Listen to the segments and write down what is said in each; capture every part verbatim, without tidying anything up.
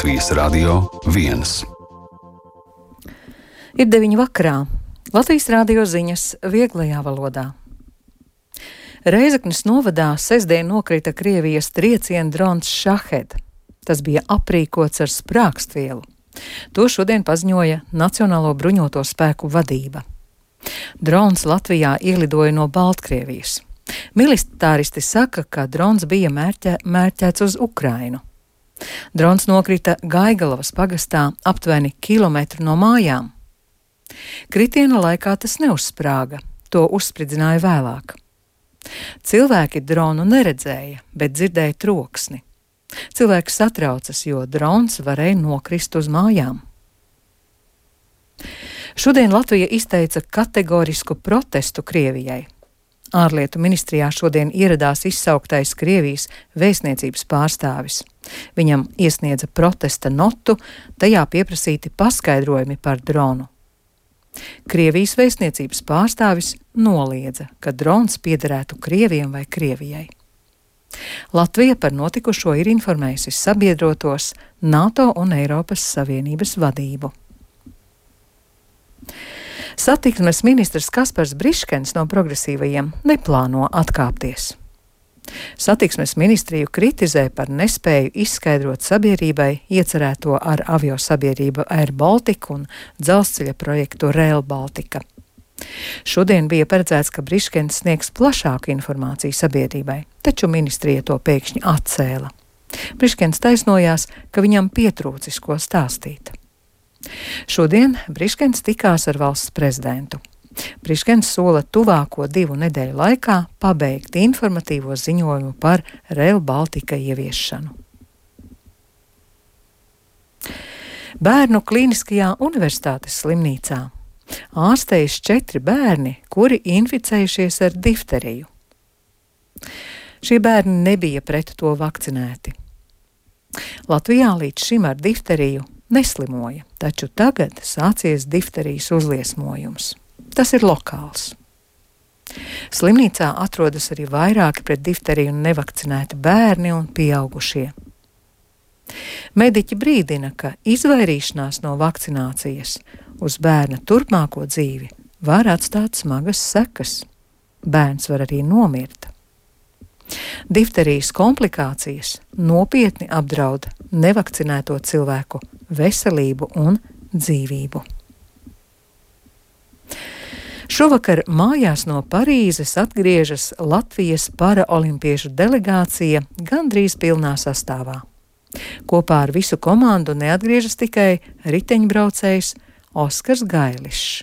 Latvijas Radio viens. Ir deviņi vakarā. Latvijas radio ziņas vieglajā valodā. Reizeknes novadā sestdien nokrita Krievijas trieciena drons Šahed. Tas bija aprīkots ar sprākstvielu. To šodien paziņoja Nacionālo bruņoto spēku vadība. Drons Latvijā ielidoja no Baltkrievijas. Militāristi saka, ka drons bija mērķē, mērķēts uz Ukrainu. Drons nokrita Gaigalavas pagastā aptuveni kilometru no mājām. Kritiena laikā tas neuzsprāga, to uzspridzināja vēlāk. Cilvēki dronu neredzēja, bet dzirdēja troksni. Cilvēki satraucas, jo drons varēja nokrist uz mājām. Šodien Latvija izteica kategorisku protestu Krievijai. Ārlietu ministrijā šodien ieradās izsauktais Krievijas vēstniecības pārstāvis. Viņam iesniedza protesta notu, tajā pieprasīti paskaidrojumi par dronu. Krievijas vēstniecības pārstāvis noliedza, ka drons piederētu Krieviem vai Krievijai. Latvija par notikušo ir informējusi sabiedrotos, NATO un Eiropas Savienības vadību. Satiksmes ministrs Kaspars Briškens no progresīvajiem neplāno atkāpties. Satiksmes ministriju kritizē par nespēju izskaidrot sabiedrībai iecerēto ar aviosabiedrību Air Baltica un dzelzceļa projektu Rail Baltica. Šodien bija paredzēts, ka Briškens sniegs plašāku informāciju sabiedrībai, taču ministrija to pēkšņi atcēla. Briškens taisnojās, ka viņam pietrūcis ko stāstīt. Šodien Briškens tikās ar valsts prezidentu. Briškens sola tuvāko divu nedēļu laikā pabeigt informatīvo ziņojumu par Rail Baltica ieviešanu. Bērnu Kliniskajā universitātes slimnīcā ārstējas četri bērni, kuri inficējušies ar difteriju. Šie bērni nebija pret to vakcinēti. Latvijā līdz šim ar difteriju neslimoja, taču tagad sācies difterijas uzliesmojums. Tas ir lokāls. Slimnīcā atrodas arī vairāki pret difteriju nevakcinēti bērni un pieaugušie. Mediķi brīdina, ka izvairīšanās no vakcinācijas uz bērna turpmāko dzīvi var atstāt smagas sekas. Bērns var arī nomirt. Difterijas komplikācijas nopietni apdraud nevakcinēto cilvēku veselību un dzīvību. Šovakar mājās no Parīzes atgriežas Latvijas paraolimpiešu delegācija gandrīz pilnā sastāvā. Kopā ar visu komandu neatgriežas tikai riteņbraucējs Oskars Gailišs.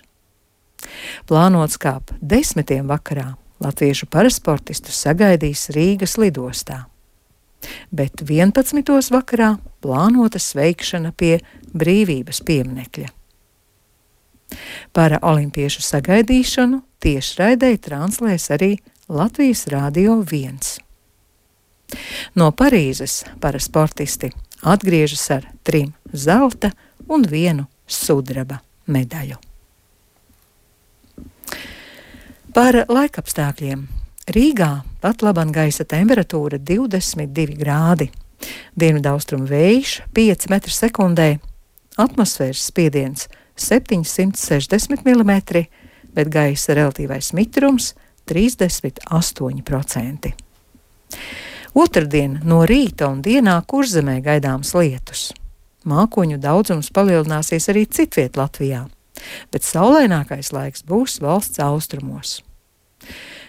Plānots, kā ap desmitiem vakarā latviešu parasportistus sagaidīs Rīgas lidostā. Bet vienpadsmitos vakarā plānota sveikšana pie Brīvības pieminekļa. Paraolimpiešu sagaidīšanu tiešraidē translēs arī Latvijas Radio viens. No Parīzes parasportisti atgriežas ar trim zelta un vienu sudraba medaļu. Par laikapstākļiem. Rīgā pat laban gaisa temperatūra divdesmit divi grādi, dienvidaustrumu vējš pieci metri sekundē, atmosfēras spiediens septiņsimt sešdesmit milimetri, bet gaisa relatīvais mitrums trīsdesmit astoņi procenti. Otrdien no rīta un dienā Kurzemē gaidāms lietus. Mākoņu daudzums palielināsies arī citviet Latvijā, bet saulainākais laiks būs valsts austrumos.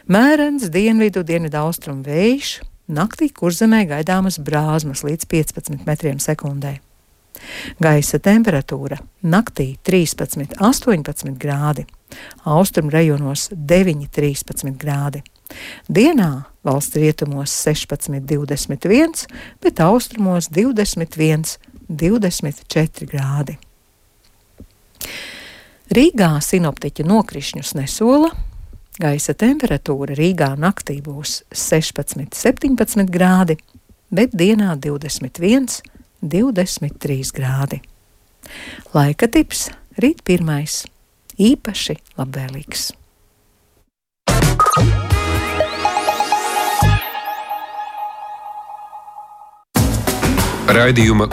Mērens dienvidu dienvidaustrumu vējš, naktī Kurzemē gaidāmas brāzmas līdz piecpadsmit metriem sekundē. Gaisa temperatūra naktī trīspadsmit astoņpadsmit grādi, austrumu rajonos deviņi trīspadsmit grādi. Dienā valsts rietumos sešpadsmit divdesmit viens, bet austrumos divdesmit viens divdesmit četri grādi. Rīgā sinoptiķi nokrišņus nesola. Gaisa temperatūra Rīgā naktī būs sešpadsmit septiņpadsmit grādi, bet dienā divdesmit viens divdesmit trīs grādi. Laika tips rīt pirmais, īpaši labvēlīgs. Raidījuma